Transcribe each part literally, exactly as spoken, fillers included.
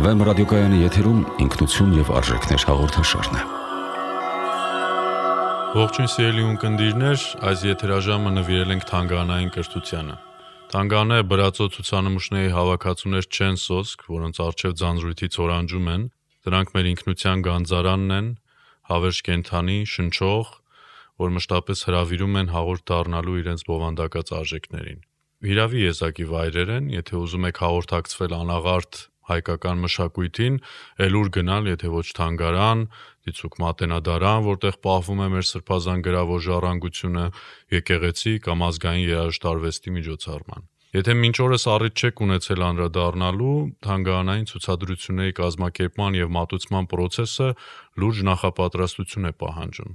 Վեմ ռադիոկայանի եթերում ինքնություն և արժեքներ հաղորդաշարն է։ Ողջույն սիրելի ունկնդիրներ, այս եթերաժամը նվիրել ենք թանգարանային կրթությանը։ Թանգարանները բրածո ցուցանմուշների հավաքածուներ չեն սոսկ, որոնց առջև ձանձրույթից օրանջում են, դրանք մեր ինքնության գանձարանն են, հավերժ կենդանի, շնչող, որ մշտապես հրավիրում են հաղորդ դառնալու իրենց բովանդակած արժեքներին։ Հիրավի եզակի վայրեր են, եթե ուզում եք հաղորդակցվել անաղարտ հայկական մշակույթին, էլ ուր գնալ, եթե ոչ թանգարան, դիցուք մատենադարան, որտեղ պահվում է մեր սրբազան գրավոր ժառանգությունը, եկեղեցի կամ ազգային երաժշտարվեստի միջոցառման։ Եթե մինչ օրս առիթ չեք ունեցել անդրադառնալու, թանգարանային ցուցադրությունների կազմակերպման և մատուցման պրոցեսը լուրջ նախապատրաստություն է պահանջում,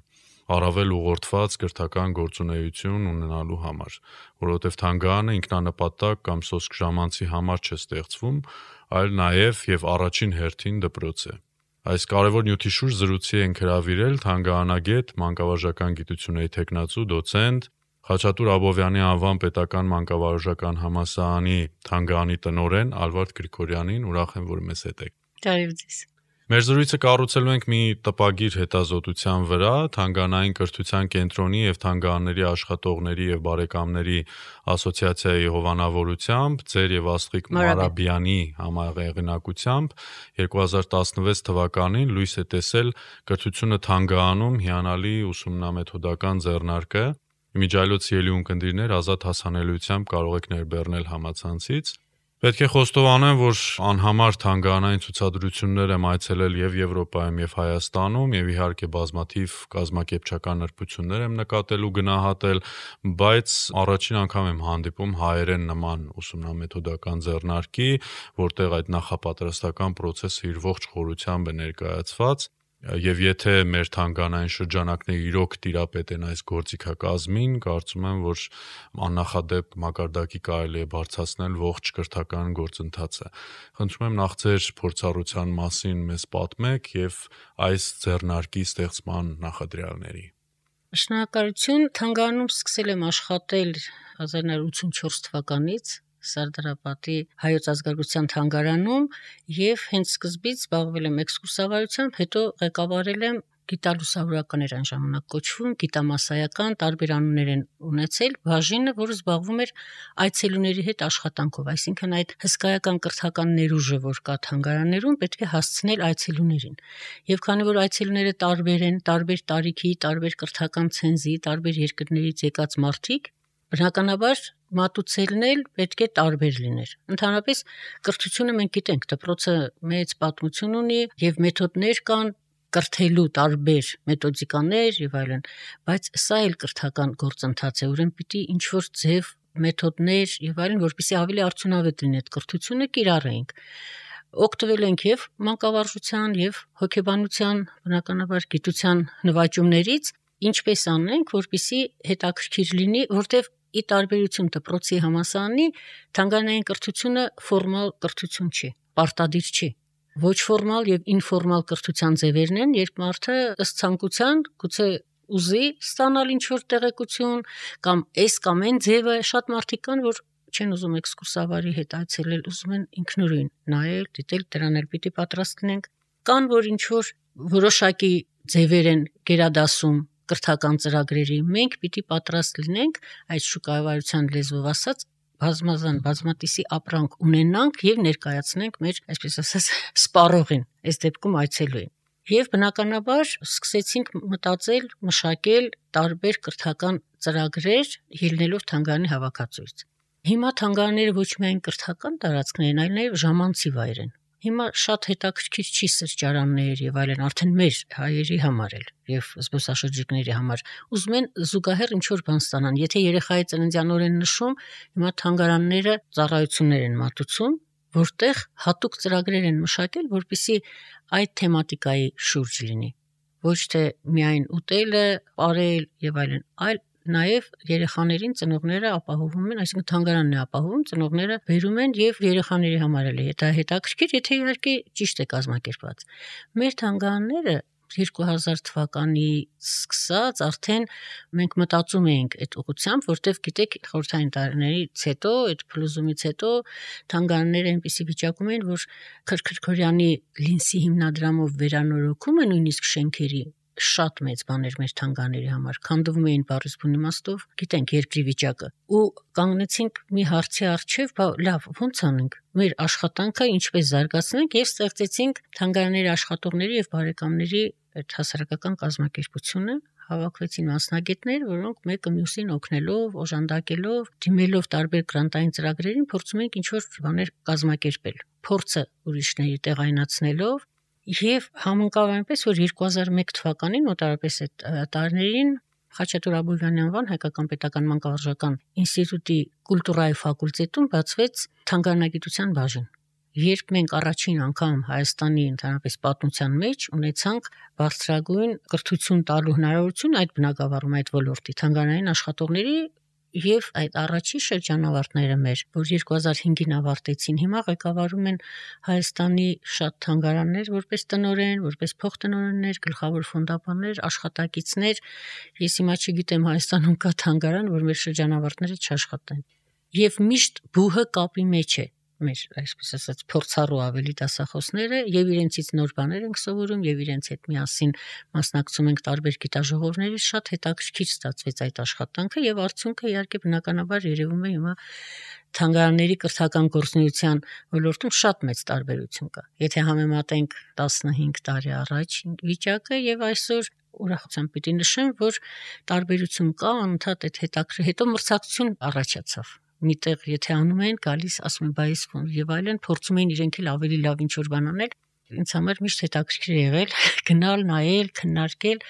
առավել ուղղորդված կրթական գործունեություն ունենալու համար, որովհետև թանգարանը ինքնանպատակ կամ սոսկ ժամանցի համար չէ ստեղծվում, այլ նաև և առաջին հերթին դպրոց է։ Այս կարևոր նյութի շուրջ զրույցի ենք հրավիրել թանգարանագետ, մանկավարժական գիտությունների թեկնածու, դոցենտ, Խաչատուր Աբովյանի անվան պետական մանկավարժական համալսարանի թանգարանի տնօրեն Ալվարդ Գրիգորյանին, ուրախ եմ, որ մեզ հետ եք։ Բարև ձեզ։ Մեր զրույցը կառուցելու ենք մի տպագիր հետազոտության վրա, թանգարանային կրթության կենտրոնի և թանգարանների աշխատողների և բարեկամների ասոցիացիայի հովանավորությամբ, ձեր և Աստղիկ Մարաբյանի համահեղինակությամբ երկու հազար տասնվեց թվականին լույս է տեսել «Կրթությունը թանգարանում» հիանալի ուսումնամեթոդական ձեռնարկը։ Իմիջիայլոց սիրելի ունկնդիրներ, ազատ հասանելիությամբ կարող եք ներբեռնել համացանցից։ Պետք է խոստովանեմ, որ անհամար թանգարանային ցուցադրություններ եմ այցելել և Եվրոպայում, և Հայաստանում, և իհարկե բազմաթիվ կազմակերպչական նրբություններ եմ նկատել ու գնահատել, բայց առաջին անգամ եմ հանդիպում հայերեն նման ուսումնամեթոդական ձեռնարկի, որտեղ այդ նախապատրաստական պրոցեսը իր ողջ խորությամբ է ներկայացված, և եթե մեր թանգարանային շրջանակները իրոք տիրապետ են այս գործիքակազմին, կարծում եմ, որ աննախադեպ մակարդակի կարելի է բարձրացնել ողջ կրթական գործընթացը։ Խնդրում եմ նախ ձեր փորձառության մասին մեզ պատմեք և այս ձեռնարկի ստեղծման նախադրյալների։ Շնորհակալություն, թանգարանում սկսել եմ աշխատել հազար նույն հարյուր ութսունչորս թվականից Սարդարապատի Հայոց ազգագրության թանգարանում և հենց սկզբից զբաղվել եմ էքսկուրսավարությամբ, հետո ղեկավարել եմ գիտալուսավորական էր այն ժամանակ կոչվում, գիտամասսայական, տարբեր անուններ են ունեցել, բաժինը, որը զբաղվում էր այցելուների հետ աշխատանքով, այսինքն այդ հսկայական կրթական ներուժը, որ կա թանգարաններում, պետք է հասցնել այցելուներին։ Եվ քանի որ այցելուները տարբեր են, տարբեր տարիքի, տարբեր կրթական ցենզի, տարբեր երկրներից եկած մարդիկ, բնականաբար մատուցելն էլ պետք է տարբեր լիներ։ Ընդհանրապես կրթությունը մենք գիտենք, դպրոցը մեծ պատմություն ունի և մեթոդներ կան կրթելու, տարբեր մեթոդիկաներ եւ այլն, բայց սա էլ կրթական գործընթաց է, ուրեմն պիտի ինչ-որ ձև, մեթոդներ եւ այլն, որպեսզի ավելի արդյունավետ լինի այդ կրթությունը, կիրառեինք։ Օգտվել ենք եւ մանկավարժության եւ հոգեբանության, բնականաբար գիտության նվաճումներից, ինչպես անենք, որպեսզի հետաքրքիր լինի, որտեվ ի տարբերություն դպրոցի համալսարանի, թանգարանային կրթությունը ֆորմալ կրթություն չի, պարտադիր չի։ Ոչ ֆորմալ եւ ինֆորմալ կրթության ձևերն են, երբ մարդը ըստ ցանկության գուցե ուզի ստանալ ինչ-որ տեղեկություն կամ այս կամ այն ձևը, շատ մարդիկ կան, որ չեն ուզում էքսկուրսավարի հետ այցելել, ուզում են ինքնուրույն նայել, դիտել, դրան էլ պիտի պատրաստ լինենք։ Կան, որ ինչ-որ որոշակի ձևեր են գերադասում կրթական ծրագրերի, մենք պիտի պատրաստ լինենք այդ շուկայավարության լեզվով ասած բազմազան բազմատիսի ապրանք ունենանք եւ ներկայացնենք մեր, այսպես ասած, սպառողին, այս դեպքում այցելուին։ Եվ բնականաբար սկսեցինք մտածել, մշակել տարբեր կրթական ծրագրեր, ելնելով թանգարանի հավաքածուից։ Հիմա թանգարանները ոչ միայն կրթական տարածքներ են, այլ նաեւ ժամանցի վայր են։ Հիմա շատ հետաքրքիր չի սրճարաններ եւ այլն, արդեն մեր հայերի համար էլ եւ զբոսաշրջիկների համար ուզում են զուգահեռ ինչ-որ բան ստանան։ Եթե երեխայի ծննդյան օր են նշում, հիմա թանգարանները ծառայություններ են մատուցում, որտեղ հատուկ ծրագրեր են մշակել, որպեսզի այդ թեմատիկայի շուրջ լինի։ Ոչ թե միայն ուտելը, ապարել եւ այլն, այլ նաև երեխաներին ծնողները ապահովում են, այսինքն թանգարանն է ապահովում, ծնողները բերում են եւ երեխաների համար էլ է դա հետաքրքիր, եթե իհարկե ճիշտ է կազմակերպված։ Մեր թանգարանները երկու հազար թվականից սկսած արդեն մենք մտածում էինք այդ ուղղությամբ, որտեվ գիտեք, խորհրդային տարիներից հետո, այդ փլուզումից հետո թանգարանները այնպիսի վիճակում էին, որ Քրքրքորյանի Լինսի հիմնադրամով վերանորոգումը նույնիսկ շենքերի շատ մեծ բաներ մեր թանգարանների համար, քանդվում էին բառից բուն իմաստով, գիտենք երկրի վիճակը, ու կանգնեցինք մի հարցի առջև, բա լավ, ո՞նց անենք, մեր աշխատանքը ինչպես զարգացնենք, եւ ստեղծեցինք թանգարանների աշխատողների եւ բարեկամների այդ հասարակական կազմակերպությունը, հավաքվեցին մասնագետներ, որոնք մեկը մյուսին օգնելով, օժանդակելով, դիմելով տարբեր գրանտային ծրագրերին, փորձում ենք ինչ-որ բաներ կազմակերպել, փորձը ուրիշների տեղայնացնելով. Եվ համընկավ այնպես, որ երկու հազար մեկ թվականին մոտարապես այդ տարիներին Խաչատուր Աբովյանի անվան Հայկական պետական մանկավարժական ինստիտուտի կուլտուրայի ֆակուլտետում բացվեց թանգարանագիտության բաժին։ Երբ մենք առաջին անգամ Հայաստանի ընդհանրապես պատմության մեջ ունեցանք բարձրագույն կրթություն տալու հնարավորություն այդ բնագավառում, այդ ոլորտի թանգարանային աշխատողների եւ այդ առաջի շրջանավարտները մեր, որ երկու հազար հինգին ավարտեցին, հիմա ղեկավարում են Հայաստանի շատ թանգարաններ, որպես տնօրեն, որպես փոխտնօրեններ, գլխավոր ֆոնդապաններ, աշխատակիցներ։ Ես հիմա չգիտեմ Հայաստանում կա թանգարան, որ մեր շրջանավարտները չաշխատեն։ Եվ միշտ բուհը կապի մեջ է մեր, այսպես ասած, փորձառու ավելի դասախոսները, եւ իրենցից նոր բաներ ենք սովորում, եւ իրենց հետ միասին մասնակցում ենք տարբեր գիտաժողովների, շատ հետաքրքիր ստացվեց այդ աշխատանքը, եւ արդյունքը իհարկե բնականաբար երևում է հիմա թանգարանների կրթական գործունեության ոլորտում շատ մեծ տարբերություն կա։ Եթե համեմատենք տասնհինգ տարի առաջ վիճակը եւ այսօր, ուրախությամբ պիտի նշեմ, որ տարբերություն կա, անընդհատ այդ հետաքրքիր, հետո մրցակցություն առաջացավ։ Միտեղ եթե անում են, գալիս ասում են բայս ֆոն եւ այլն, փորձում են իրենք էլ ավելի լավ ինչ-որ բան անել։ Ինձ համար միշտ հետաքրքիր է եղել գնալ, նայել, քննարկել,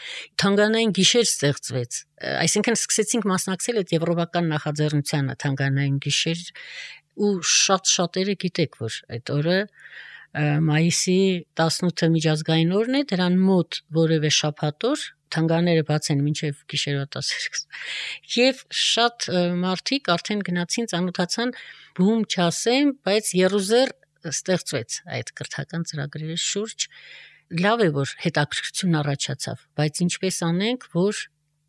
թանգարանային գիշեր ստեղծվեց։ Այսինքն սկսեցինք մասնակցել այդ եվրոպական նախաձեռնությանը թանգարանային գիշեր, ու շատ շատերը գիտեք, որ այդ օրը մայիսի տասնութը միջազգային օրն է, դրան մոտ որևէ շաբաթ օր թանգարանները բաց են մինչև գիշերվա տասը։ Եվ շատ մարդիկ արդեն գնացին, ծանոթացան, բում չասեմ, բայց երուզեր ստեղծվեց այդ կրթական ծրագրերի շուրջ։ Լավ է, որ հետաքրքրություն առաջացավ, բայց ինչպես անենք, որ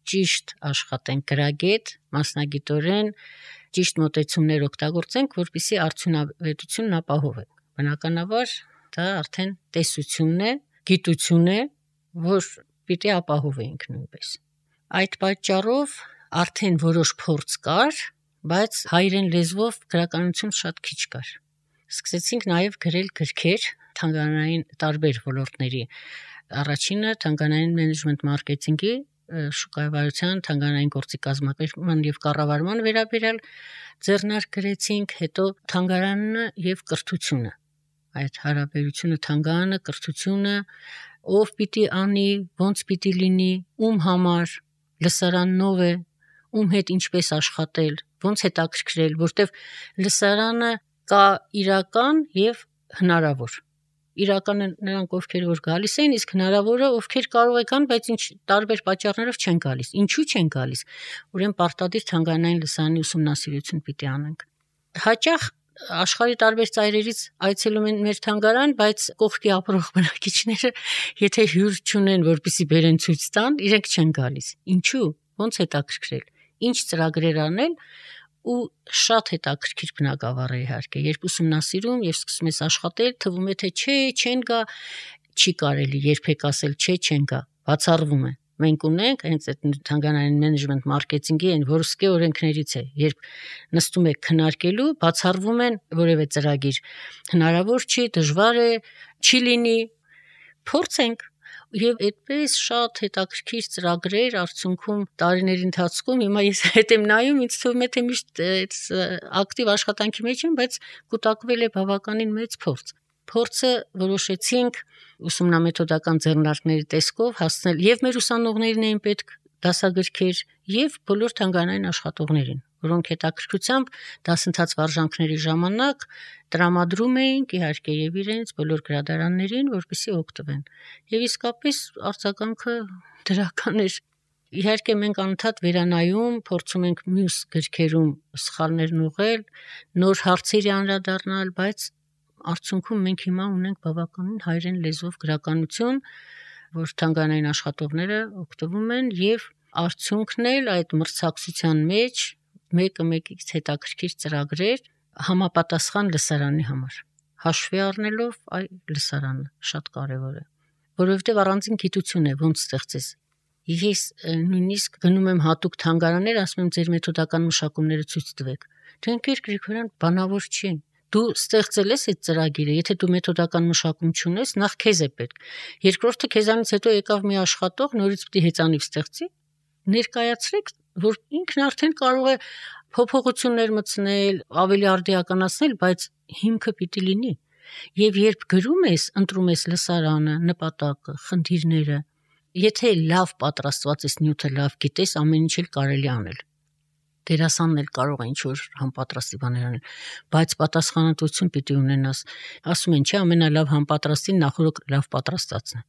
ճիշտ աշխատենք գրագետ, մասնագիտորեն, ճիշտ մոտեցումներ օգտագործենք, որպեսզի արդյունավետությունն ապահովենք։ Բնականաբար դա արդեն տեսությունն է, գիտություն է, որ պիտի ապահովենք նույնպես։ Այդ պատճառով արդեն որոշ փորձ կար, բայց հայերեն լեզվով գրականություն շատ քիչ կար։ Սկսեցինք նաև գրել գրքեր թանգարանային տարբեր ոլորտների։ Առաջինը թանգարանային մենեջմենտ մարքեթինգի, շուկայավարության, թանգարանային գործի կազմակերպման եւ կառավարման վերաբերյալ ձեռնարկ գրեցինք, հետո թանգարանը եւ կրթությունը, այդ հարաբերությունը թանգարանը, կրթությունը, ով պիտի անի, ոնց պիտի լինի, ում համար, լսարանով է, ում հետ ինչպես աշխատել, ոնց հետաքրքրել, որտեվ լսարանը կա իրական եւ հնարավոր։ Իրականը նրանք ովքեր որ գալիս են, իսկ հնարավորը ովքեր կարող եկան, բայց ինչ տարբեր պատճառներով չեն գալիս։ Ինչու չեն գալիս։ Ուրեմն պարտադիր թանգարանային լսարանի ուսումնասիրություն պիտի անենք։ Հաճախ աշխարհի տարբեր ծայրերից այցելում են մեր թանգարան, բայց կողքի ապրող բնակիչները, եթե հյուր չունեն, որպեսզի բերեն ցույց տան, իրենք չեն գալիս։ Ինչու՞։ Ոնց հետաքրքրել։ Ինչ ծրագրեր անել, ու շատ հետաքրքիր բնագավառ է իհարկե, երբ ուսումնասիրում եւ սկսում ես աշխատել, թվում է թե չէ, չեն գա, չի կարելի երբեք ասել չէ, չեն գա, բացառվում է։ Մենք ունենք հենց այդ թանգարանային մենեջմենտ մարքեթինգի այն որսկե օրենքներից է, երբ նստում եք քննարկելու, բացառվում են որևէ ծրագիր, հնարավոր չի, դժվար է, չի լինի, փորձենք։ Եվ այդպես շատ հետաքրքիր ծրագրեր արդյունքում տարիների ընթացքում հիմա ես հետ եմ նայում, ինձ թվում է թե միշտ ակտիվ աշխատանքի մեջ եմ, բայց կուտակվել է բավականին մեծ փորձ։ Փորձը որոշեցինք ուսումնամեթոդական ձեռնարկների տեսքով հասնել եւ մեր ուսանողներին էին պետք դասագրքեր եւ բոլոր թանգարանային աշխատողներին, որոնք հետաքրքրությամբ դասընթաց վարժանքների ժամանակ տրամադրում էինք իհարկե եւ իրենց բոլոր գրադարաններին, որպեսզի օգտվեն։ Եվ իսկապես արձագանքը դրական էր։ Իհարկե մենք անընդհատ վերանայում, փորձում ենք մյուս գրքերում սխալներն ուղղել, նոր հարցերի անդրադառնալ, բայց արդյունքում մենք հիմա ունենք բավականին հայերեն լեզվով գրականություն, որ թանգարանային աշխատողները օգտվում են եւ արդյունքն էլ այդ մրցակցության մեջ մեկը մեկից հետաքրքիր ծրագրեր համապատասխան լսարանի համար հաշվի առնելով այ լսարանը շատ կարեւոր է որովհետեւ առանձին գիտություն է ոնց ստեղծես ես նույնիսկ գնում եմ հատուկ թանգարաններ ասում եմ ձեր մեթոդական մշակումները ցույց տվեք դրանք Գրիգորյան բանավոր չի դու ստեղծել ես այդ ծրագիրը, եթե դու մեթոդական մշակում չունես, նախ քեզ է պետք։ Երկրորդը քեզանից հետո եկավ մի աշխատող, նորից պիտի հեծանիվ ստեղծի, ներկայացրեք, որ ինքն արդեն կարող է փոփոխություններ մտցնել, ավելի արդիականացնել, բայց հիմքը պիտի լինի։ Եվ երբ գրում ես, ընտրում ես լսարանը, նպատակը, խնդիրները, եթե լավ պատրաստված ես, նյութը լավ գիտես, ամեն ինչ էլ կարելի անել։ Դերասանն էլ կարող է ինչ-որ համապատրաստի բաներ անել, բայց պատասխանատվություն պիտի ունենաս։ Ասում են, չէ, ամենալավ համապատրաստին նախորդ լավ պատրաստածն է։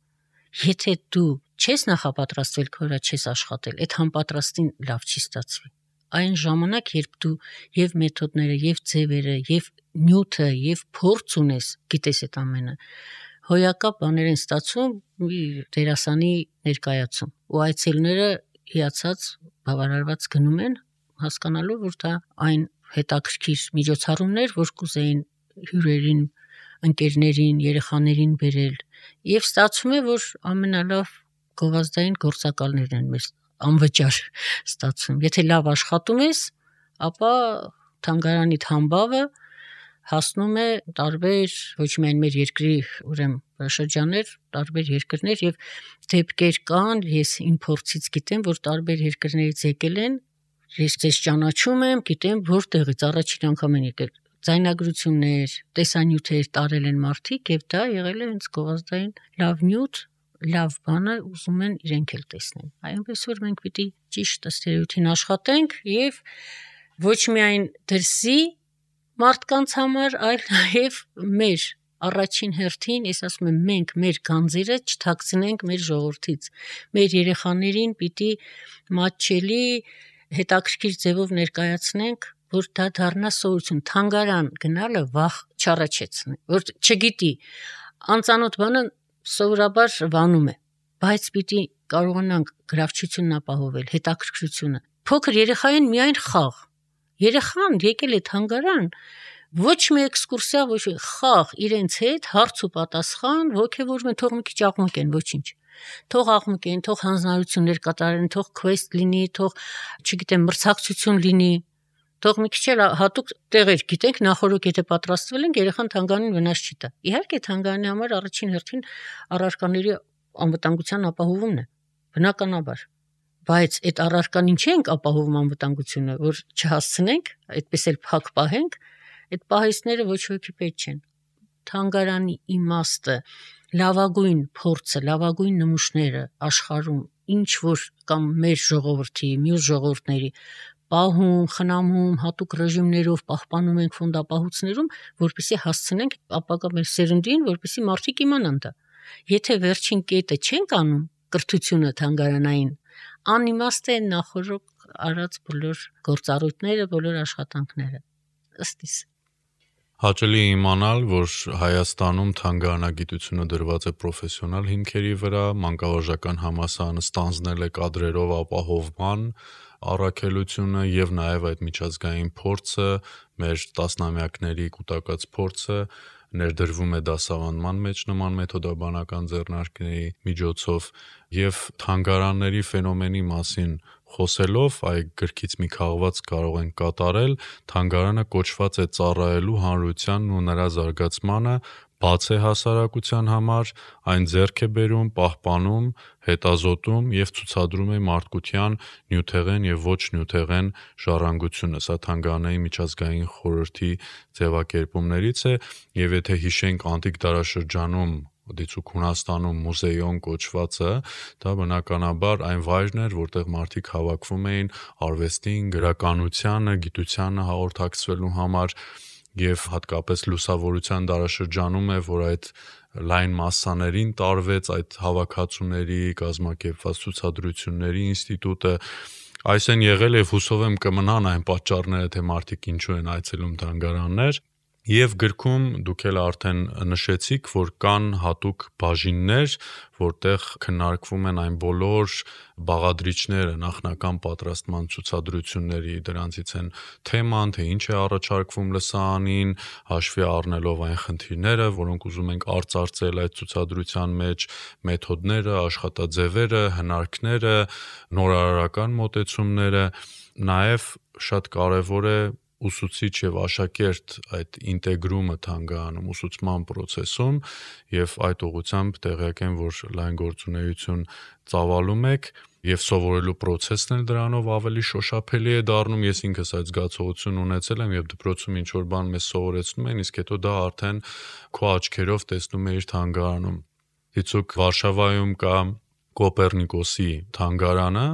Եթե դու չես նախապատրաստվել, քո վրա չես աշխատել, այդ համապատրաստին լավ չի ստացվի։ Այն ժամանակ, երբ դու եւ մեթոդները, եւ ձևերը, եւ նյութը, եւ փորձ ունես, գիտես այդ ամենը, հոյակապ բաներ են ստացվում դերասանի ներկայացում։ Ու այցելուները հիացած, բավարարված գնում են հասկանալով, որ դա այն հետաքրքիր միջոցառումներ, որ կուզեին հյուրերին, ընկերներին, երեխաներին բերել, եւ ստացվում է, որ ամենալավ գովազդային գործակալներն են մեր անվճար ստացվում։ Եթե լավ աշխատում ես, ապա թանգարանի համբավը հասնում է տարբեր ոչ միայն մեր երկրի ուրեմն շրջաններ, տարբեր երկրներ եւ դեպքեր կան, ես իմ փորձից գիտեմ, որ տարբեր երկրներից եկել են Ես ձեզ ճանաչում եմ, գիտեմ որտեղից առաջին անգամ են եկել ձայնագրություններ, տեսանյութեր տարել են մարդիկ եւ դա եղել է հենց գովազդային լավ նյութ, լավ բանը ուզում են իրենք էլ տեսնեն։ Այնպես որ մենք պիտի ճիշտ ըստ երևույթին աշխատենք եւ ոչ միայն դրսի մարդկանց համար, այլ նաեւ մեր առաջին հերթին, ես ասում եմ, մենք մեր գանձերը չթաքցնենք մեր ժողովրդից։ Մեր երեխաներին պիտի մատչելի հետաքրքիր ձևով ներկայացնենք, որ դա դառնա սովորություն, թանգարան գնալը վախ չառաջեցնի, որ չգիտի, անծանոթ բանը սովորաբար վանում է, բայց պիտի կարողանանք գրավչությունն ապահովել, հետաքրքրությունը։ Փոքր երեխային միայն խաղ։ Երեխան եկել է թանգարան, ոչ մի էքսկուրսիա, ոչ մի խաղ իրենց հետ, հարց ու պատասխան, ոգևորում են, թող մի քիչ աղմուկ են, ոչինչ։ Թող աղմուկ են, թող հանձնարարություններ կատարեն, թող quest լինի, թող, չգիտեմ, մրցակցություն լինի, թող մի քիչ էլ հատուկ տեղեր գիտենք, նախորդ եթե պատրաստվել ենք, երեխան թանգարանին վնաս չի տա։ Իհարկե թանգարանի համար առաջին հերթին առարկաների անվտանգության ապահովումն է, բնականաբար։ Բայց այդ առարկան ինչի ենք ապահովում անվտանգությունը, որ չհասցնենք, այդպես էլ փակ պահենք, այդ պահեստները ոչ ոքի պետք չեն։ Թանգարանի իմաստը, լավագույն փորձը, լավագույն նմուշները աշխարհում, ինչ որ կամ մեր ժողովրդի, մյուս ժողովուրդների պահում, խնամում, հատուկ ռեժիմներով պահպանում ենք ֆոնդապահոցներում, որպեսզի հասցնենք ապագա մեր սերունդին, որպեսզի մարդիկ իմանան դա։ Եթե վերջին կետը չենք անում, կրթությունը թանգարանային, անիմաստ է նախորդ արած բոլոր գործառույթները, բոլոր աշխատանքները։ Ըստ իս Հաճելի է իմանալ, որ Հայաստանում թանգարանագիտությունը դրված է պրոֆեսիոնալ հիմքերի վրա, մանկավարժական համալսարանը ստանձնել է կադրերով ապահովման առաքելությունը եւ նաեւ այդ միջազգային փորձը, մեր տասնամյակների կուտակած փորձը ներդրվում է դասավանդման մեջ նման մեթոդաբանական ձեռնարկների միջոցով եւ թանգարանների ֆենոմենի մասին խոսելով այ գրքից մի քաղված կարող են կատարել թանգարանը կոչված է ծառայելու հանրությանն ու նրա զարգացմանը բաց է հասարակության համար այն ձեռք է բերում պահպանում հետազոտում եւ ցուցադրում է մարդկության նյութեղեն եւ ոչ նյութեղեն ժառանգությունը սա թանգարանային միջազգային խորհրդի ձևակերպումներից է եւ եթե հիշենք անտիկ դարաշրջանում դիցուք Հունաստանում մուզեյոն կոչվածը, դա բնականաբար այն վայրն էր, որտեղ մարդիկ հավաքվում էին արվեստին, գրականությանը, գիտությանը հաղորդակցվելու համար եւ հատկապես լուսավորության դարաշրջանում է, որ այդ լայն մասսաներին տարվեց այդ հավաքածուների, կազմակերպված ցուցադրությունների ինստիտուտը Այս են եղել եւ հուսով եմ կմնան այն պատճառները, թե մարդիկ ինչու են այցելում թանգարաններ Եվ գրքում դուք էլ արդեն նշեցիք, որ կան հատուկ բաժիններ, որտեղ քննարկվում են այն բոլոր բաղադրիչները նախնական պատրաստման ցուցադրությունների, դրանցից են թեման, թե ինչ է առաջարկվում լսարանին, հաշվի առնելով այն խնդիրները, որոնք ուզում ենք արծարծել այդ ցուցադրության մեջ, մեթոդները, աշխատաձևերը, հնարքները, նորարարական մոտեցումները, նաև շատ կարևոր է ուսուցիչ եւ աշակերտ այդ ինտեգրումը թանգարանում ուսուցման process-ում եւ այդ ուղղությամբ տեղյակ եմ, որ լայն գործունեություն ծավալում եք եւ սովորելու process-ն էլ դրանով ավելի շոշափելի է դառնում։ Ես ինքս այդ զգացողությունն ունեցել եմ եւ դպրոցում ինչ որ բան մեզ սովորեցնում են, իսկ հետո դա արդեն քո աչքերով տեսնում ես թանգարանում։ Դիցուք Վարշավայում կա Կոպեռնիկոսի թանգարանը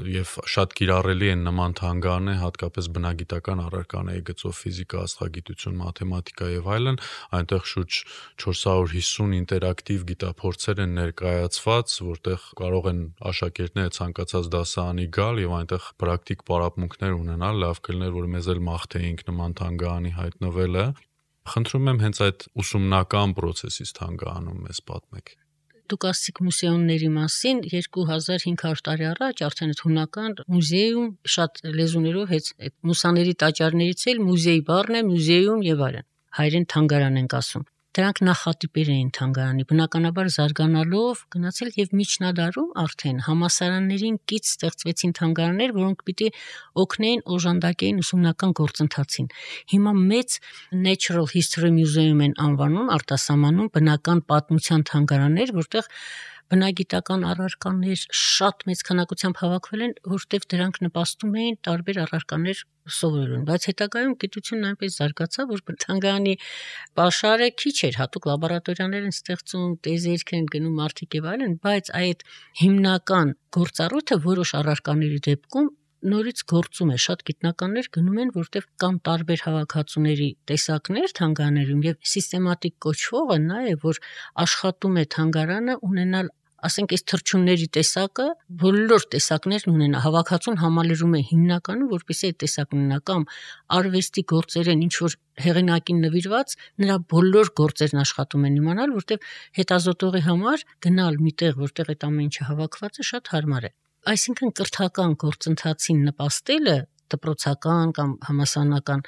եւ շատ կիրառելի են նման թանգարաններ, հատկապես բնագիտական առարկաների գծով ֆիզիկա, աստղագիտություն, մաթեմատիկա եւ այլն, այնտեղ շուրջ չորս հարյուր հիսուն ինտերակտիվ գիտափորձեր են ներկայացված, որտեղ կարող են աշակերտները ցանկացած դասարանի գալ եւ այնտեղ պրակտիկ պարապմունքներ ունենալ, լավ կլիներ, որ մեզ էլ մաղթեինք նման թանգարանի հայտնվելը։ Խնդրում եմ հենց այդ ուսումնական process-ից թանգարանում մեզ պատմեք։ Դուք ասացիք մուսեումների մասին, երկու հազար հինգ հարյուր տարի առաջ արդեն այդ հունական մուզեում շատ լեզուներով հետ այդ մուսաների տաճարներից էլ մուզեյ բառն է, մուզեում եւ այլն։ Հայերեն թանգարան ենք ասում։ Դրանք նախատիպեր էին թանգարանի, բնականաբար զարգանալով գնացել եւ միջնադարում արդեն համասարաններին կից ստեղծվեցին թանգարաններ, որոնք պիտի օգնեին օժանդակեին ուսումնական գործընթացին։ Հիմա մեծ Natural History Museum են անվանում, արտասահմանում բնական պատմության թանգարաններ, որտեղ բնագիտական առարկաներ շատ մեծ քանակությամբ հավաքվել են, որտեղ դրանք նպաստում էին տարբեր առարկաներ սովորելուն, բայց հետագայում գիտությունն այնպես զարգացավ, որ թանգարանի պաշարը քիչ էր, հատուկ լաբորատորիաներ են ստեղծում, տեզերք են գնում մարդիկ եւ այլն, բայց այդ հիմնական գործառույթը որոշ առարկաների դեպքում նորից գործում է, շատ գիտնականներ գնում են, որտեղ կան տարբեր հավաքածուների տեսակներ թանգարաններում եւ սիստեմատիկ կոչվողը նա է, որ աշխատում է թանգարանը ունենալ, ասենք, այս թռչունների տեսակը, բոլոր տեսակներն ունենա, հավաքածուն համալրում է հիմնականում, որպեսզի այդ տեսակն ունենա, կամ արվեստի գործեր են, ինչ որ հեղինակին նվիրված, նրա բոլոր գործերն աշխատում են իմանալ, որտեղ հետազոտողի համար գնալ միտեղ, որտեղ այդ ամեն ինչը հավաքված է, շատ հարմար է։ Այսինքն կրթական գործընթացին նպաստելը դպրոցական կամ համասարանական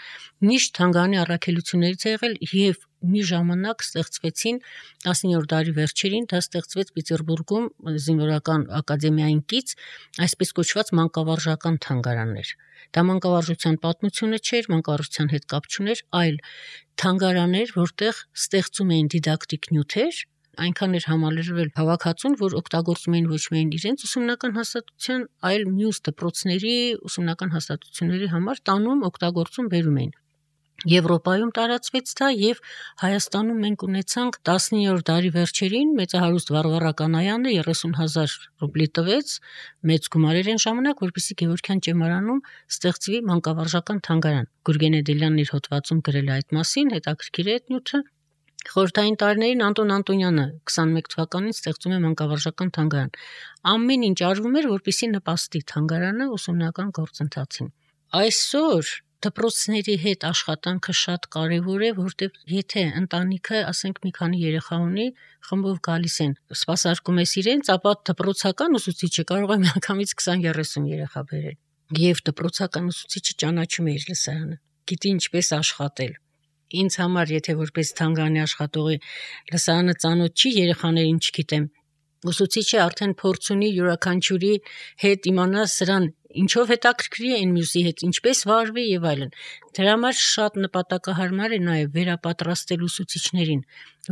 միշտ թանգարանի առաքելություններից է եղել եւ մի ժամանակ ստեղծվեցին տասնյոթերորդ դարի վերջերին, դա ստեղծվեց Պետերբուրգում զինվորական ակադեմիային կից, այսպես կոչված մանկավարժական թանգարաններ։ Դա մանկավարժության պատմությունը չէր, մանկավարժության հետ կապ չուներ, այլ թանգարաններ, որտեղ ստեղծում էին դիդակտիկ նյութեր, այնքան էր համալրվել հավաքածուն, որ օգտագործում էին ոչ միայն իրենց ուսումնական հաստատության, այլ մյուս դպրոցների ուսումնական հաստատությունների համար տանում, օգտագործում բերում էին։ Եվրոպայում տարածվեց դա եւ Հայաստանում մենք ունեցանք տասնյոթերորդ դարի վերջերին մեծահարուստ Վարվարա Կանայանը երեսուն հազար ռուբլի տվեց, մեծ գումարեր են ժամանակ, որպեսզի Գևորգյան ճեմարանում ստեղծվի մանկավարժական թանգարան։ Գուրգեն Էդելյանն իր հոդվածում գրել է այդ մասին, հետաքրքիր է այդ նյութը։ Խորհրդային տարիներին Անտոն Անտոնյանը քսանմեկ թվականին ստեղծում է մանկավարժական թանգարան։ Ամեն ինչ արվում էր, որպեսզի նպաստի թանգարանը ուսումնական գործընթացին։ Այսօր դպրոցների հետ աշխատանքը շատ կարևոր է, որտեղ եթե ընտանիքը, ասենք, մի քանի երեխա ունի, խմբով գալիս են, սպասարկում ես իրենց, ապա դպրոցական ուսուցիչը կարող է միանգամից քսան երեսուն երեխա բերել։ Եվ դպրոցական ուսուցիչը ճանաչում է իր լսարանը, գիտի ինչպես աշխատել։ Ինձ համար, եթե որպես թանգարանի աշխատողի լսարանը ծանոթ չի, երեխաներին չգիտեմ, ուսուցիչը արդեն փորձ ունի յուրաքանչյուրի հետ իմանա սրան ինչով հետաքրքրի է այն մյուսի հետ, ինչպես վարվի եւ այլն։ Դրա համար շատ նպատակահարմար է նաեւ վերապատրաստել ուսուցիչներին,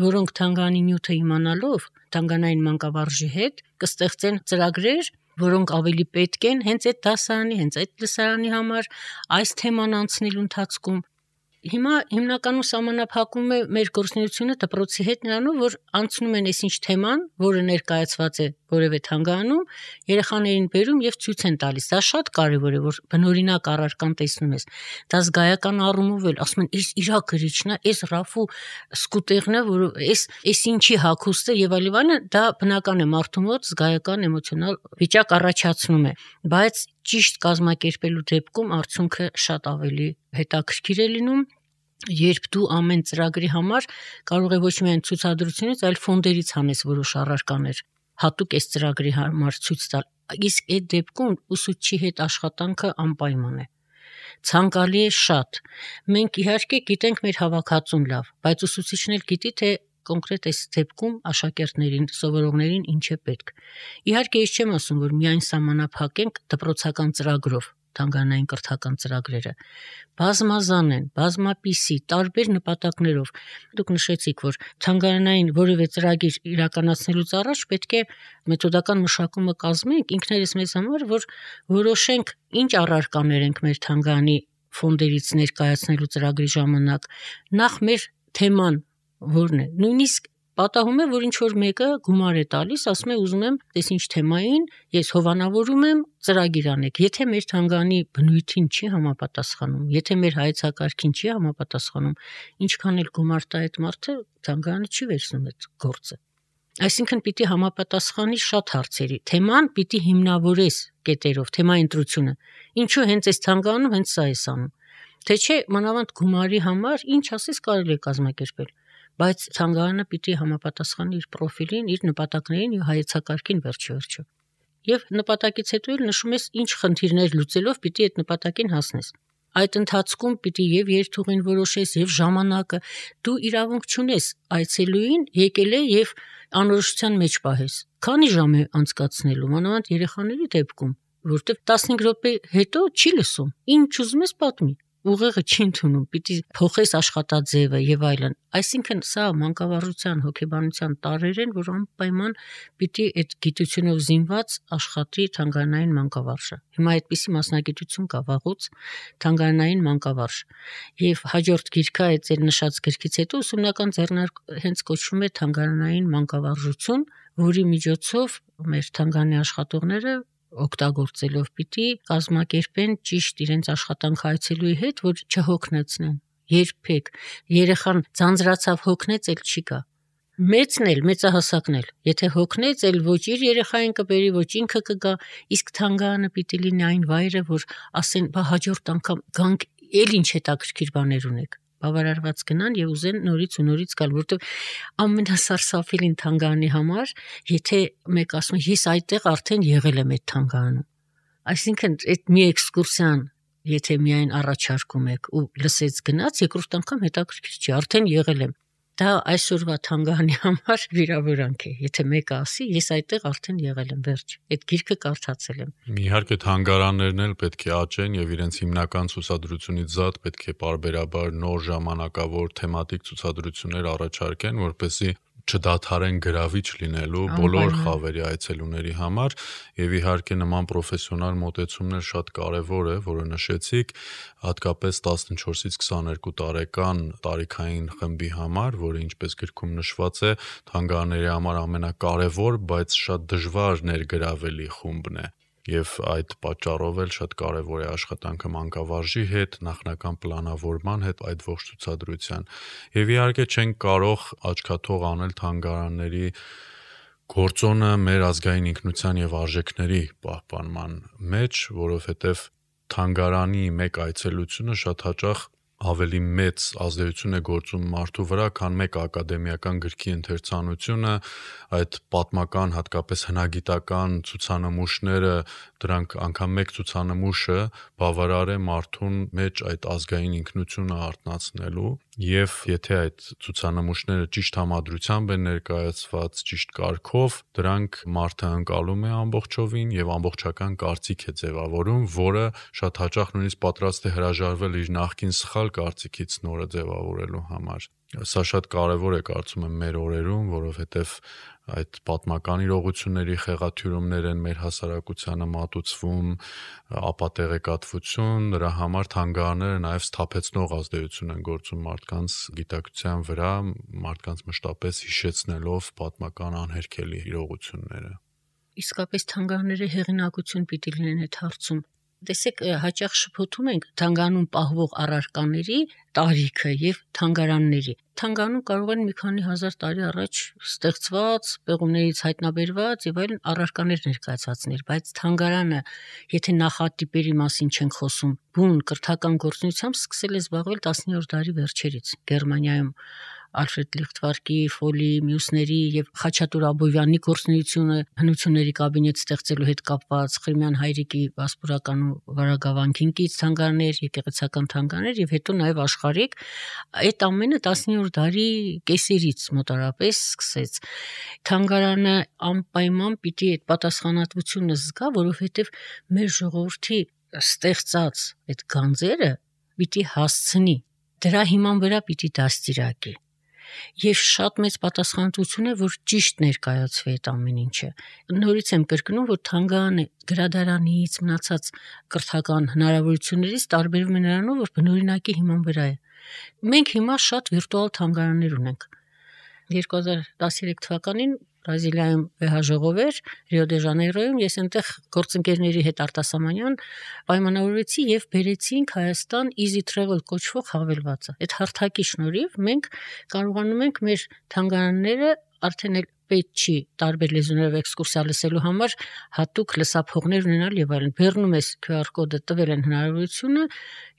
որոնք թանգարանի նյութը իմանալով թանգարանային մանկավարժի հետ կստեղծեն ծրագրեր, որոնք ավելի պետք են հենց այդ դասարանի, հենց այդ լսարանի համար, այս թեման անցնելու ընթացքում։ Հիմա հիմնականում սահմանափակում է մեր գործունեությունը դպրոցի հետ նրանով, որ անցնում են այսինչ թեման, որը ներկայացված է որևէ թանգարանում, երեխաներին բերում եւ ցույց են տալիս։ Դա շատ կարեւոր է, որ բնօրինակ առարկան տեսնում ես։ Դա զգայական առումով էլ ասում են, «Էս իրա գրիչն է, էս Ռաֆու սկուտերն է, որ էս էս ինչի հագուստ է» եւ այլն, դա բնական է մարդու մոտ զգայական էմոցիոնալ վիճակ առաջացնում է, բայց ճիշտ կազմակերպելու դեպքում արդյունքը շատ ավելի հետաքրքիր է լինում երբ դու ամեն ծրագրի համար կարող է ոչ միայն ցուցադրությունից, այլ ֆոնդերից հանես որոշ առարկաներ, հատուկ այս ծրագրի համար ցույց տալ, իսկ այդ դեպքում ուսուցչի հետ աշխատանքը անպայման է։ Ցանկալի է շատ։ Մենք իհարկե գիտենք մեր հավաքածուն լավ, բայց ուսուցիչն էլ գիտի, թե կոնկրետ այս դեպքում աշակերտներին, սովորողներին ինչ է պետք։ Իհարկե, ես չեմ ասում, որ միայն սահմանափակենք դպրոցական ծրագրով թանգարանային կրթական ծրագրերը, բազմազան են, բազմապիսի, տարբեր նպատակներով։ Դուք նշեցիք, որ թանգարանային որևէ ծրագիր իրականացնելուց առաջ պետք է մեթոդական մշակումը կազմենք ինքներս մեզ համար, որ որոշենք ինչ առարկաներ ենք մեր թանգարանի ֆոնդերից ներկայացնելու ծրագրի ժամանակ, նախ մեր թեման որն է, նույնիսկ պատահում է, որ ինչ որ մեկը գումար է տալիս, ասում է ուզում եմ տես ինչ թեմային, ես հովանավորում եմ ծրագիր անեք։ Եթե մեր թանգարանի բնույթին չի համապատասխանում, եթե մեր հայեցակարգին չի համապատասխանում, ինչքան էլ գումար տա այդ մարդը, թանգարանը չի վերցնում այդ գործը։ Այսինքն պիտի համապատասխանի շատ հարցերի։ Թեման պիտի հիմնավորես կետերով, թեմայի ընտրությունը։ Ինչու հենց այս թանգարանում հենց սա էս անում։ Թե չէ մանավանդ գումարի համար ինչ ասես կարելի է կազմակերպել, բայց թանգարանը պիտի համապատասխանի իր պրոֆիլին, իր նպատակներին եւ հայեցակարգին վերջիվերջո։ Եվ նպատակից հետո էլ նշում ես ինչ խնդիրներ լուծելով պիտի այդ նպատակին հասնես։ Այդ ընթացքում պիտի եւ երթուղին որոշես եւ ժամանակը, դու իրավունք չունես այցելուին եկել է եւ անորոշության մեջ պահես։ Քանի ժամ է անցկացնելու, մանավանդ երեխաների դեպքում, որտեղ տասնհինգ րոպե հետո չի լսում, ինչ ուզում ես պատմի, ուղեղը չի ընդունում, պիտի փոխես աշխատաձևը եւ այլն։ Այսինքն սա մանկավարժության, հոգեբանության տարրեր են, որ անպայման պիտի այդ գիտությունով զինված աշխատի թանգարանային մանկավարժը։ Հիմա այդպիսի մասնագիտություն կա վաղուց թանգարանային մանկավարժ։ Եվ հաջորդ գիրքը այդ ձեր նշած գրքից հետո ուսումնական ձեռնարկը հենց կոչվում է թանգարանային մանկավարժություն, որի միջոցով մեր թանգարանի աշխատողները օգտագործելով պիտի կազմակերպեն ճիշտ իրենց աշխատանքը այցելուի հետ, որ չհոգնեցնեն։ Երբեք երեխան ձանձրացավ հոգնեց, էլ չի գա։ Մեծն էլ, մեծահասակն էլ, եթե հոգնեց, էլ ոչ իր երեխային կբերի, ոչ ինքը կգա, իսկ թանգարանը պիտի լինի այն վայրը, որ ասեն, բա հաջորդ անգամ գանք, էլ ինչ հետաքրքիր բաներ ունեք։ Բավարարված գնան եւ ուզեն նորից ու նորից գալ, որովհետեւ ամենասարսափելին թանգարանի համար, եթե մեկ ասում է, ես այդտեղ արդեն եղել եմ այդ թանգարանում։ Այսինքն այդ մի էքսկուրսիան, եթե միայն առաջարկում եք ու լսեց գնաց, երկրորդ անգամ հետաքրքիր չի, արդեն եղել եմ։ Դա այսօրվա թանգարանի համար վիրավորանք է։ Եթե մեկը ասի, ես այդտեղ արդեն եղել եմ, վերջ։ Այդ գիրքը կարդացել եմ։ Իհարկե թանգարաններն էլ պետք է աճեն եւ իրենց հիմնական ցուցադրությունից զատ պետք է պարբերաբար նոր ժամանակավոր թեմատիկ ցուցադրություններ առաջարկեն, որպեսզի չդադարեն գրավիչ լինելու բոլոր խավերի այցելուների համար եւ իհարկե նման պրոֆեսիոնալ մոտեցումներ շատ կարեւոր է, որը նշեցիք, հատկապես տասնչորսից քսաներկու տարեկան տարիքային խմբի համար, որը ինչպես գրքում նշված է, թանգարանների համար ամենակարևոր, բայց շատ դժվար ներգրավելի խումբն է։ Եվ այդ պատճառով էլ շատ կարևոր է աշխատանքը մանկավարժի հետ, նախնական պլանավորման հետ այդ ողջ ցուցադրության։ Եվ իհարկե չենք կարող աչքաթող անել թանգարանների գործոնը մեր ազգային ինքնության եւ արժեքների պահպանման մեջ, որովհետեւ թանգարանի մեկ այցելությունը շատ հաճախ ավելի մեծ ազդեցություն է գործում մարդու վրա, քան մեկ ակադեմիական գրքի ընթերցանությունը, այդ պատմական, հատկապես հնագիտական ցուցանմուշները, դրանք անգամ մեկ ցուցանմուշը բավարար է մարդուն մեջ այդ ազգային ինքնությունը արտնացնելու, եւ եթե այդ ցուցանմուշները ճիշտ համադրությամբ են ներկայացված, ճիշտ կարգով, դրանք մարդը ընկալում է ամբողջովին եւ ամբողջական կարծիք է ձևավորում, որը շատ հաճախ նույնիսկ պատրաստ է հրաժարվել իր նախկին սխալ կարծիքից նորը ձևավորելու համար։ Սա շատ կարևոր է կարծում եմ մեր օրերում, որովհետեւ այդ պատմական իրողությունների խեղաթյուրումներ են մեր հասարակությանը մատուցվում, ապատեղեկատվություն, դրա համար թանգարանները նաեւ սթափեցնող ազդեցություն են գործում մարդկանց գիտակցության վրա, մարդկանց մշտապես հիշեցնելով պատմական անհերքելի իրողությունները։ Իսկապես թանգարանները հեղինակություն պիտի լինեն այդ հարցում։ Տեսեք, հաճախ շփոթում ենք թանգարանում պահվող առարկաների տարիքը եւ թանգարանների։ Թանգարանում կարող են մի քանի հազար տարի առաջ ստեղծված, պեղումներից հայտնաբերված եւ այլն առարկաներ ներկայացածներ, բայց թանգարանը, եթե նախատիպերի մասին չենք խոսում, բուն կրթական գործունեությամբ սկսել է զբաղվել տասնյորդ դարի վերջերից Գերմանիայում Ալֆրեդ Լիխտվարկի, Ֆոլի, մյուսների եւ Խաչատուր Աբովյանի գործունեությունը հնությունների կաբինետ ստեղծելու հետ կապված Խրիմյան հայրիկի վասպուրական ու վարագավանքինքից թանգարաններ, եկեղեցական թանգարաններ եւ հետո նաեւ աշխարհիկ, այդ ամենը տասնյորդ դարի կեսերից մոտարապես սկսեց։ Թանգարանը անպայման պիտի այդ պատասխանատվությունը զգա, որովհետեւ մեր ժողովրդի ստեղծած այդ գանձերը պիտի հասցնի, դրա հիման վրա պիտի դաստիարակի։ Եվ շատ մեծ պատասխանատվություն է, որ ճիշտ ներկայացվի այդ ամեն ինչը։ Նորից եմ կրկնում, որ թանգարանը գրադարանից մնացած կրթական հնարավորություններից տարբերվում է նրանով, որ բնօրինակի հիման վրա է։ Մենք հիմա շատ վիրտուալ թանգարաններ ունենք։ երկու հազար տասներեք թվականին Բրազիլիայում վեհաժողով էր Ռիո դե Ժանեյրոյում, ես այնտեղ գործընկերների հետ արտասահմանյան պայմանավորվեցի եւ բերեցինք Հայաստան Easy Travel կոչվող հավելվածը։ Այդ հարթակի շնորհիվ մենք կարողանում ենք մեր թանգարանները արդեն էլ պետք չի տարբեր լեզուներով էքսկուրսիա լսելու համար հատուկ լսափողներ ունենալ եւ այլն։ Բեռնում ես քյու ար կոդը, տվել են հնարավորությունը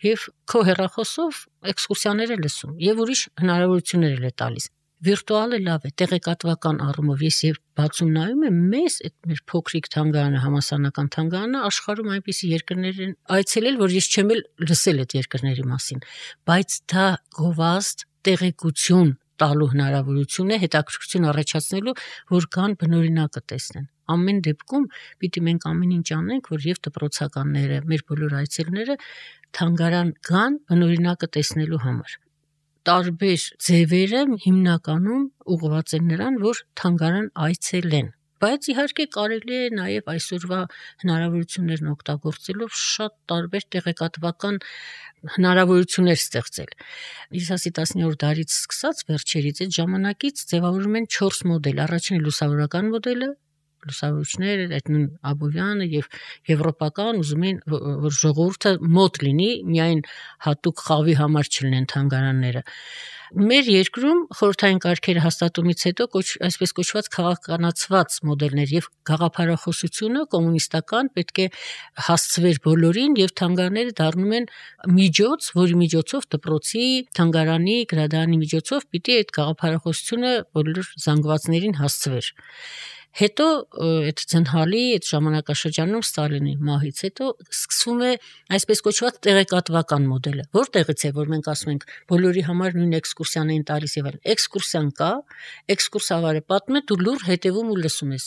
եւ քո հեռախոսով էքսկուրսիաներ է լսում եւ ուրիշ հնարավորություններ է տալիս։ Վիրտուալը լավ է, տեղեկատվական առումով ես եւ բացում նայում եմ, մեզ այդ մեր փոքրիկ թանգարանը, համասանական թանգարանը աշխարհում այնպիսի երկրներ են այցելել, որ ես չեմ էլ լսել այդ երկրների մասին, բայց դա գովազդ, տեղեկություն տալու հնարավորություն է, հետաքրքրություն առաջացնելու, որ կան բնօրինակը տեսնեն։ Ամեն դեպքում պիտի մենք ամեն ինչ անենք, որ եւ դպրոցականները, մեր բոլոր այցելուները թանգարան գան բնօրինակը տեսնելու համար։ Տարբեր ձևերը հիմնականում ուղղված են նրան, որ թանգարան այցելեն, բայց իհարկե կարելի է նաև այսօրվա հնարավորություններն օգտագործելով շատ տարբեր տեղեկատվական հնարավորություններ ստեղծել։ Ես ասի տասնյորդ դարից սկսած վերջերից այդ ժամանակից ձևավորում են չորս մոդել։ Առաջինը լուսավորական մոդելը, լուսավորիչներ, այդ նույն Աբովյանը եւ եվրոպական ուզում են, որ ժողովուրդը մոտ լինի, միայն հատուկ խաղի համար չլինեն թանգարանները։ Մեր երկրում խորհրդային կարգերը հաստատումից հետո կոչ, այսպես կոչված քաղաքականացված մոդելներ եւ գաղափարախոսությունը կոմունիստական պետք է հասցվեր բոլորին եւ թանգարանները դառնում են միջոց, որի միջոցով դպրոցի, թանգարանի, գրադարանի միջոցով պիտի այդ գաղափարախոսությունը բոլոր զանգվածներին հասցվեր։ Հետո այդ ցնհալի այդ ժամանակաշրջանում Ստալինի մահից հետո սկսվում է այսպես կոչված տեղեկատվական մոդելը, որտեղից է որ մենք ասում ենք բոլորի համար նույն էքսկուրսիան են տալիս եւ այլն։ Էքսկուրսիան կա, էքսկուրսավարը պատմում է, դու լուր հետևում ու լսում ես։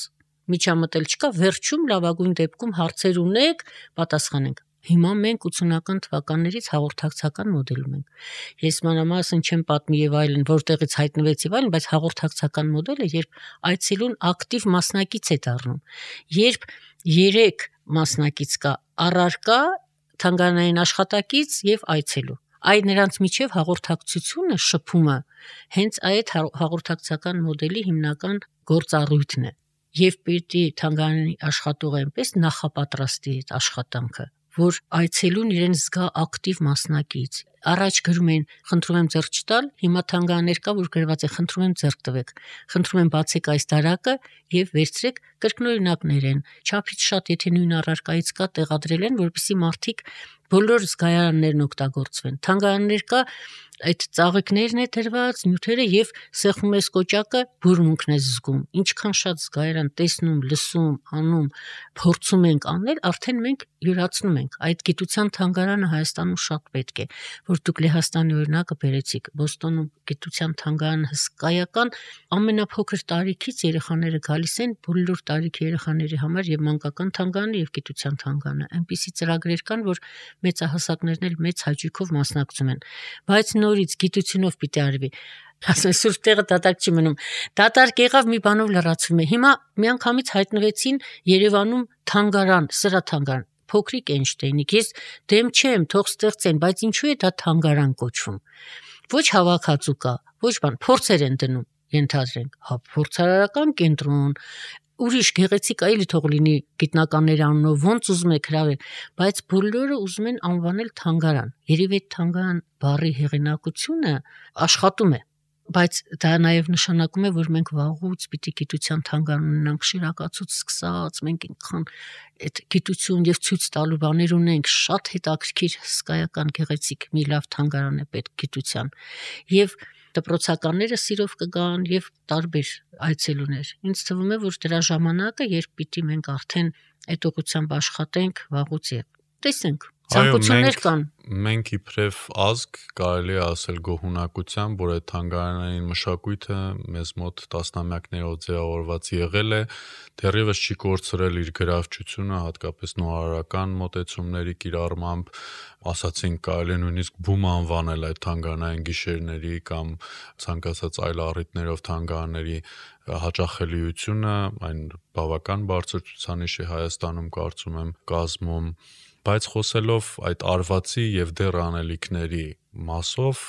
Միջամտել չկա, վերջում լավագույն դեպքում հարցեր ունեք, պատասխանենք։ Հիմա մենք ութսունական թվականներից հաղորդակցական մոդելում ենք։ Ես մանրամասն չեմ պատմի եւ այլն, որտեղից հայտնվեց եւ այլն, բայց հաղորդակցական մոդելը, երբ այցելուն ակտիվ մասնակից է դառնում, երբ երեք մասնակից կա՝ առարկա, թանգարանային աշխատակից եւ այցելու։ Այդ նրանց միջև հաղորդակցությունը, շփումը հենց այդ հաղորդակցական մոդելի հիմնական գործառույթն է։ Եվ պիտի թանգարանի աշխատողը այնպես նախապատրաստի այդ աշխատանքը, որ այցելուն իրեն զգա ակտիվ մասնակից։ Առաջ գրում են, խնդրում եմ ձեռք չտալ, հիմա թանգարաններ կա, որ գրված է, խնդրում եմ ձեռք տվեք, խնդրում եմ բացեք այս դարակը եւ վերցրեք, կրկնօրինակներ են, չափից շատ, եթե նույն առարկայից կա, տեղադրել են, որպեսզի մարդիկ բոլոր զգայարաններն օգտագործվեն։ Թանգարաններ կա, այդ ծաղիկներն է դրված, նյութերը եւ սեղմում ես կոճակը, բուրմունքն ես զգում։ Ինչքան շատ զգայարան տեսնում, լսում, անում, փորձում ենք անել, արդեն մենք յուրացնում ենք։ Այդ գիտության թանգարանը Հայաստանում շատ պետք է, որ դուք Լեհաստանի օրինակը բերեցիք, Բոստոնում գիտության թանգարանը հսկայական, ամենափոքր տարիքից երեխաները գալիս են, բոլոր տարիքի երեխաների համար եւ մանկական թանգարանը եւ գիտության թանգարանը։ Այնպիսի ծրագրեր կան, որ մեծահասակներն էլ մեծ հաճույքով մասնակցում են, բայց նորից գիտությունով պիտի արվի։ Ասեն սուրբ տեղը դատարկ չի մնում։ Դատարկ եղավ, մի բանով լրացվում է։ Հիմա միանգամից հայտնվեցին Երևանում թանգարան, սրաթանգարան, փոքրիկ Էյնշտեյնիկ։ Ես դեմ չեմ, թող ստեղծեն, բայց ինչու է դա թանգարան կոչվում։ Ոչ հավաքածու կա, ոչ բան, փորձեր են դնում, ենթադրենք, հա, փորձարարական կենտրոն, ուրիշ գեղեցիկ այլի թող լինի գիտնականների անունով, ոնց ուզում եք հրավեր, բայց բոլորը ուզում են անվանել թանգարան։ Երևի այդ թանգարան բառի հեղինակությունը աշխատում է, բայց դա նաև նշանակում է, որ մենք վաղուց պիտի գիտության թանգարան ունենանք, շիրակացուց սկսած, մենք այնքան այդ գիտություն եւ ցույց տալու բաներ ունենք, շատ հետաքրքիր, հսկայական, գեղեցիկ մի լավ թանգարան է պետք գիտության։ Եվ դպրոցականները սիրով կգան եւ տարբեր այցելուներ։ Ինձ թվում է, որ դրա ժամանակը, երբ պիտի մենք արդեն այդ ուղղությամբ աշխատենք վաղուց եւ տեսնենք ցանկություններ կան։ Մենք իբրև ազգ կարելի է ասել գոհունակությամբ, որ այդ թանգարանային մշակույթը մեզ մոտ տասնամյակներով ձևավորված եղել է, դեռևս չի կորցրել իր գրավչությունը, հատկապես նորարարական մոտեցումների կիրառմամբ, ասացինք կարելի է նույնիսկ բում անվանել այդ թանգարանային գիշերների կամ ցանկացած այլ առիթներով թանգարանների հաճախելիությունը, այն բավական բարձր ցուցանիշ է Հայաստանում կարծում եմ կազմում, բայց խոսելով այդ արվածի եւ դեռ անելիքների մասով,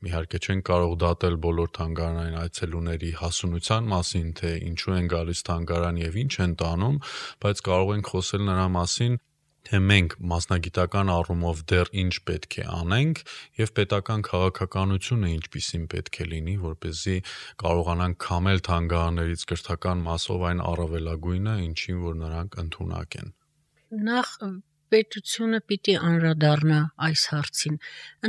իհարկե չենք կարող դատել բոլոր թանգարանային այցելուների հասունության մասին, թե ինչու են գալիս թանգարան եւ ինչ են տանում, բայց կարող ենք խոսել նրա մասին, թե մենք մասնագիտական առումով դեռ ինչ պետք է անենք եւ պետական քաղաքականությունը ինչպիսին պետք է լինի, որպեսզի կարողանանք քամել թանգարաններից կրթական մասով այն առավելագույնը, ինչին որ նրանք ընդունակ են։ Նախ պետությունը պիտի անդրադառնա այս հարցին։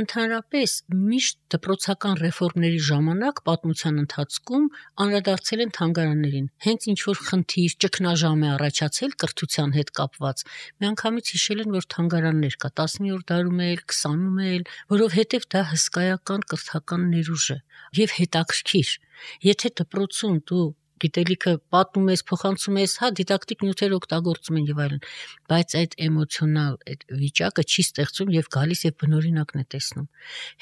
Ընդհանրապես միշտ դպրոցական ռեֆորմների ժամանակ պատմության ընթացքում անդրադարձել են թանգարաններին։ Հենց ինչ որ խնդիր, ճգնաժամ է առաջացել կրթության հետ կապված, միանգամից հիշել են, որ թանգարաններ կա տասնյորդ դարում էլ, քսանում էլ, որովհետև դա հսկայական կրթական ներուժ է եւ հետաքրքիր։ Եթե դպրոցում դու գիտելիքը պատմում ես, փոխանցում ես, հա դիդակտիկ նյութեր օգտագործում են եւ այլն, բայց այդ էմոցիոնալ այդ վիճակը չի ստեղծում եւ գալիս եւ բնօրինակն է տեսնում։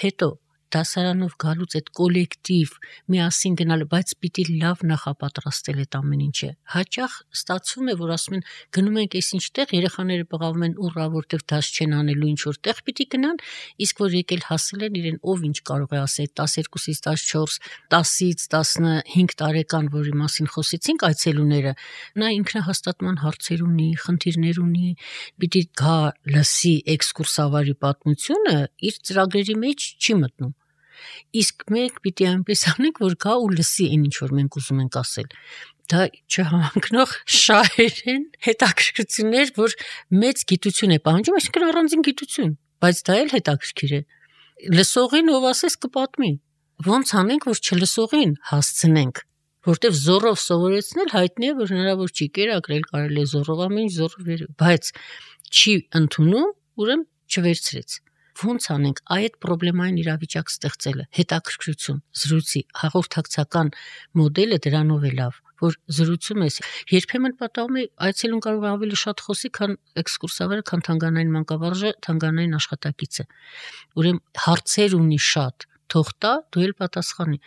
Հետո դասարանով գալուց այդ կոլեկտիվ միասին գնալը, բայց պիտի լավ նախապատրաստել այդ ամեն ինչը։ Հաճախ ստացվում է, որ ասում են գնում ենք այսինչ տեղ, երեխաները բղավում են ուռա, որտեղ դաս չեն անելու ինչ որ տեղ պիտի գնան, իսկ որ եկել հասել են իրեն ով ինչ կարող է ասել տասներկուսից տասնչորս, տասից տասնհինգ տարեկան, որի մասին խոսեցինք այցելուները, նա ինքնահաստատման հարցեր ունի, խնդիրներ ունի, պիտի գա լսի էքսկուրսավարի պատմությունը, իր ծրագրերի մեջ չի մտնում։ Իսկ մենք պիտի այնպես անենք, որ գա ու լսի այն ինչ որ մենք ուզում ենք ասել։ Դա չհամընկնող շահերեն հետաքրքրություններ, որ մեծ գիտություն է պահանջում, այսինքն առանձին գիտություն, բայց դա էլ հետաքրքիր է։ Լսողին ով ասես կպատմի։ Ոնց անենք, որ չլսողին հասցնենք, որտեվ զորով սովորեցնել հայտնի է, որ հնարավոր չի կերակրել, կարելի է զորով ամեն ինչ զորով, բայց չի ընդունում, ուրեմն չվերցրեց։ Ոնց անենք այդ պրոբլեմային իրավիճակ ստեղծելը, հետաքրքրություն, զրույցի, հաղորդակցական մոդելը դրանով է լավ, որ զրուցում ես, երբեմն պատահում է այցելուն կարող է ավելի շատ խոսի, քան էքսկուրսավարը, քան թանգարանային մանկավարժը, թանգարանային աշխատակիցը։ Ուրեմն հարցեր ունի շատ, թող տա, դու էլ պատասխանի,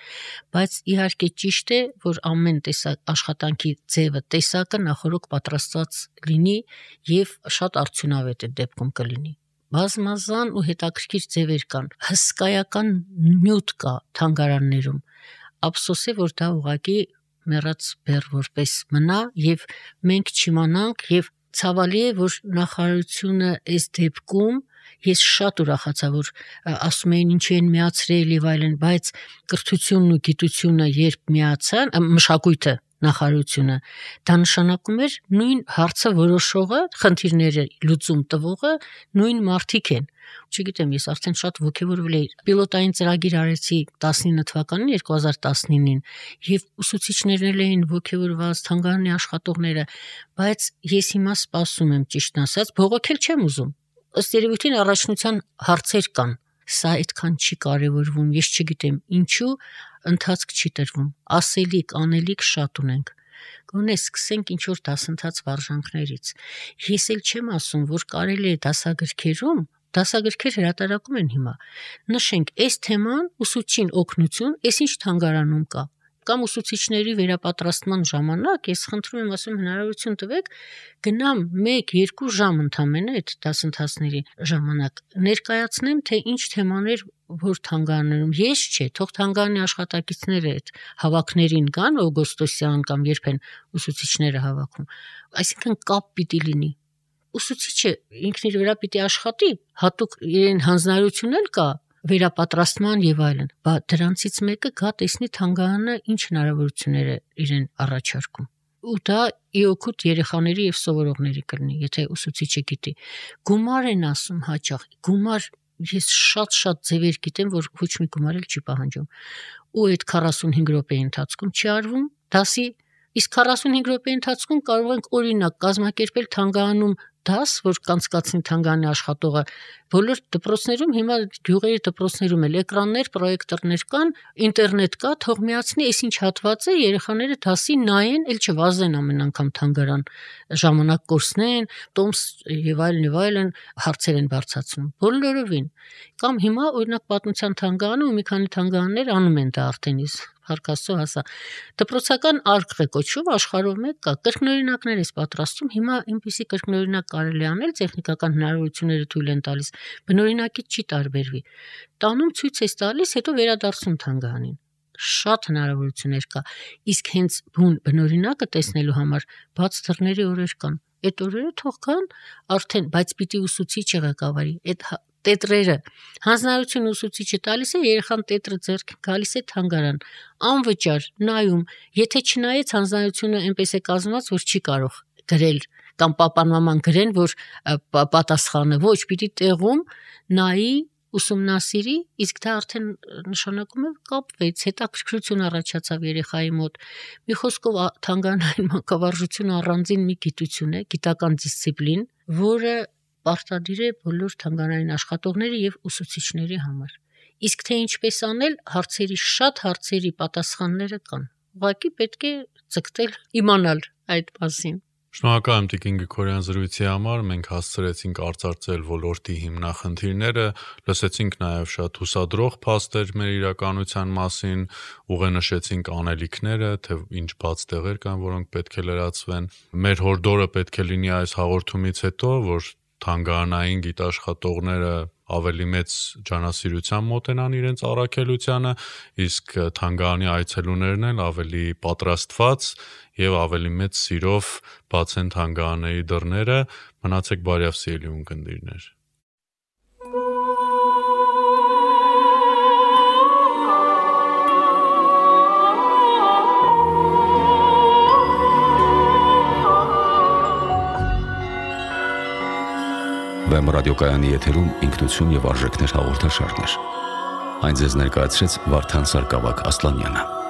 բայց իհարկե ճիշտ է, որ ամեն տեսակ աշխատանքի ձևը, տեսակը նախորոք պատրաստված լինի եւ շատ արդյունավետ է դեպքում կլինի։ Բազմազան ու հետաքրքիր ձևեր կան, հսկայական նյութ կա թանգարաններում, ափսոս է, որ դա ուղղակի մեռած բեռ որպես մնա եւ մենք չիմանանք եւ ցավալի է, որ նախարարությունը այս դեպքում ես շատ ուրախացա, որ ասում էին ինչի են միացրել եւ այլն, բայց կրթությունն ու գիտությունը երբ միացան, մշակույթը նախարարությունը, դա նշանակում էր նույն հարցը որոշողը, խնդիրները լուծում տվողը նույն մարդիկ են։ Չգիտեմ, ես արդեն շատ ոգևորվել էի։ Պիլոտային ծրագիր արեցի տասնինը թվականին, երկու հազար տասնինին, եւ ուսուցիչներն էին ոգևորված, թանգարանի աշխատողները, բայց ես հիմա սպասում եմ, ճիշտն ասած, բողոքել չեմ ուզում։ Ըստ երևույթին առաջնության հարցեր կան։ Սա այդքան չի կարևորվում, ես չգիտեմ ինչու ընթացք չի տրվում, ասելիք, անելիք շատ ունենք։ Գոնե սկսենք ինչ որ դասընթաց վարժանքներից։ Ես էլ չեմ ասում, որ կարելի է դասագրքերում, դասագրքեր հրատարակում են հիմա։ Նշենք, այս թեման ուսուցչին օգնություն, այս ինչ թանգարանում կա։ կամ ուսուցիչների վերապատրաստման ժամանակ ես խնդրում եմ, ասում հնարավորություն տվեք գնամ մեկ երկու ժամ ընդամենը այդ դասընթացների ժամանակ ներկայացնեմ, թե ինչ թեմաներ որ թանգարաններում ես չէ, թող թանգարանի աշխատակիցները այդ հավաքներին կան, օգոստոսյան կամ երբ են ուսուցիչները հավաքում, այսինքն կապ պիտի լինի։ Ուսուցիչը ինքն իր վրա պիտի աշխատի, հատուկ իրեն հանձնարարություն էլ կա վերապատրաստման եւ այլն, բայց դրանցից մեկը գա տեսնի թանգարանը ինչ հնարավորություններ է իրեն առաջարկում։ Ու դա իօքուտ երեխաների եւ սովորողների կլինի, եթե ուսուցիչը գիտի։ Գումար են ասում հաճախ, գումար ես շատ-շատ ձևեր գիտեմ, որ ոչ մի գումար էլ չի պահանջում։ Ու այդ քառասունհինգ րոպեի ընթացքում չի արվում դասի, իսկ քառասունհինգ րոպեի ընթացքում կարող ենք օրինակ կազմակերպել թանգարանում դաս, որ կանցկացնի թանգարանի աշխատողը, բոլոր դպրոցներում հիմա գյուղերի դպրոցներում էլ էկրաններ, պրոյեկտորներ կան, ինտերնետ կա, թող միացնի, այս ինչ հատված է, երեխաները դասի նայեն, ել չվազեն ամեն անգամ թանգարան, ժամանակ կորցնեն, տոմս եւ այլն եւ այլն հարցեր են բարձրացնում։ Բոլորովին։ Կամ հիմա օրինակ պատմության թանգարանը ու մի քանի թանգարաններ անում են դա արդեն իսկ Հարկասո հասա։ Դպրոցական արկղ է կոչվում, աշխարհով մեկ կա, կրկնօրինակներ է պատրաստում, հիմա այնպիսի կրկնօրինակ կարելի անել, տեխնիկական հնարավորությունները թույլ են տալիս, բնօրինակից չի տարբերվի։ Տանում ցույց է տալիս, հետո վերադարձում թանգարանին։ Շատ հնարավորություններ կա, իսկ հենց բուն բնօրինակը տեսնելու համար բաց դռների օրեր կան։ Այդ օրերը թող կան արդեն, բայց պիտի ուսուցիչը ղեկավարի, այդ տետրերը հանձնարարություն ուսուցիչը տալիս է, երեխան տետրը ձեռք գալիս է թանգարան, անվճար նայում, եթե չնայեց հանձնարարությունը այնպես է կազմված, որ չի կարող գրել կամ պապան-մաման գրեն, որ պատասխանը ոչ, պիտի տեղում նայի, ուսումնասիրի, իսկ դա արդեն նշանակում է կապվեց, հետաքրքրություն առաջացավ երեխայի մոտ։ Մի խոսքով թանգարանային մանկավարժությունը առանձին մի գիտություն է, գիտական դիսցիպլին, որը պարտադիր է բոլոր թանգարանային աշխատողների եւ ուսուցիչների համար։ Իսկ թե ինչպես անել, հարցերի շատ հարցերի պատասխանները կան։ Ուղղակի պետք է ցկտել, իմանալ այդ մասին։ Շնորհակալ եմ Տիկին Գրիգորյան զրույցի համար, մենք հասցրեցինք արծարծել ոլորտի հիմնախնդիրները, լսեցինք նաև շատ հուսադրող փաստեր մեր իրականության մասին, ուղենշեցինք անելիքները, թե ինչ բաց տեղեր կան, որոնք պետք է լրացվեն։ Մեր հորդորը պետք է լինի այս հաղորդումից հետո, որ թանգարանային գիտաշխատողները ավելի մեծ ջանասիրության մոտենան իրենց առաքելությանը, իսկ թանգարանի այցելուներն էլ ավելի պատրաստված եւ ավելի մեծ սիրով բացեն թանգարանների դռները։ Մնացեք բարյավ սիրելի ունկնդիրներ։ Վեմ ռադիոկայանի եթերում ինքնություն եւ արժեքներ հաղորդաշարներ։ Այն ձեզ ներկայացրեց Վարդան Սարգսակ Ասլանյանը։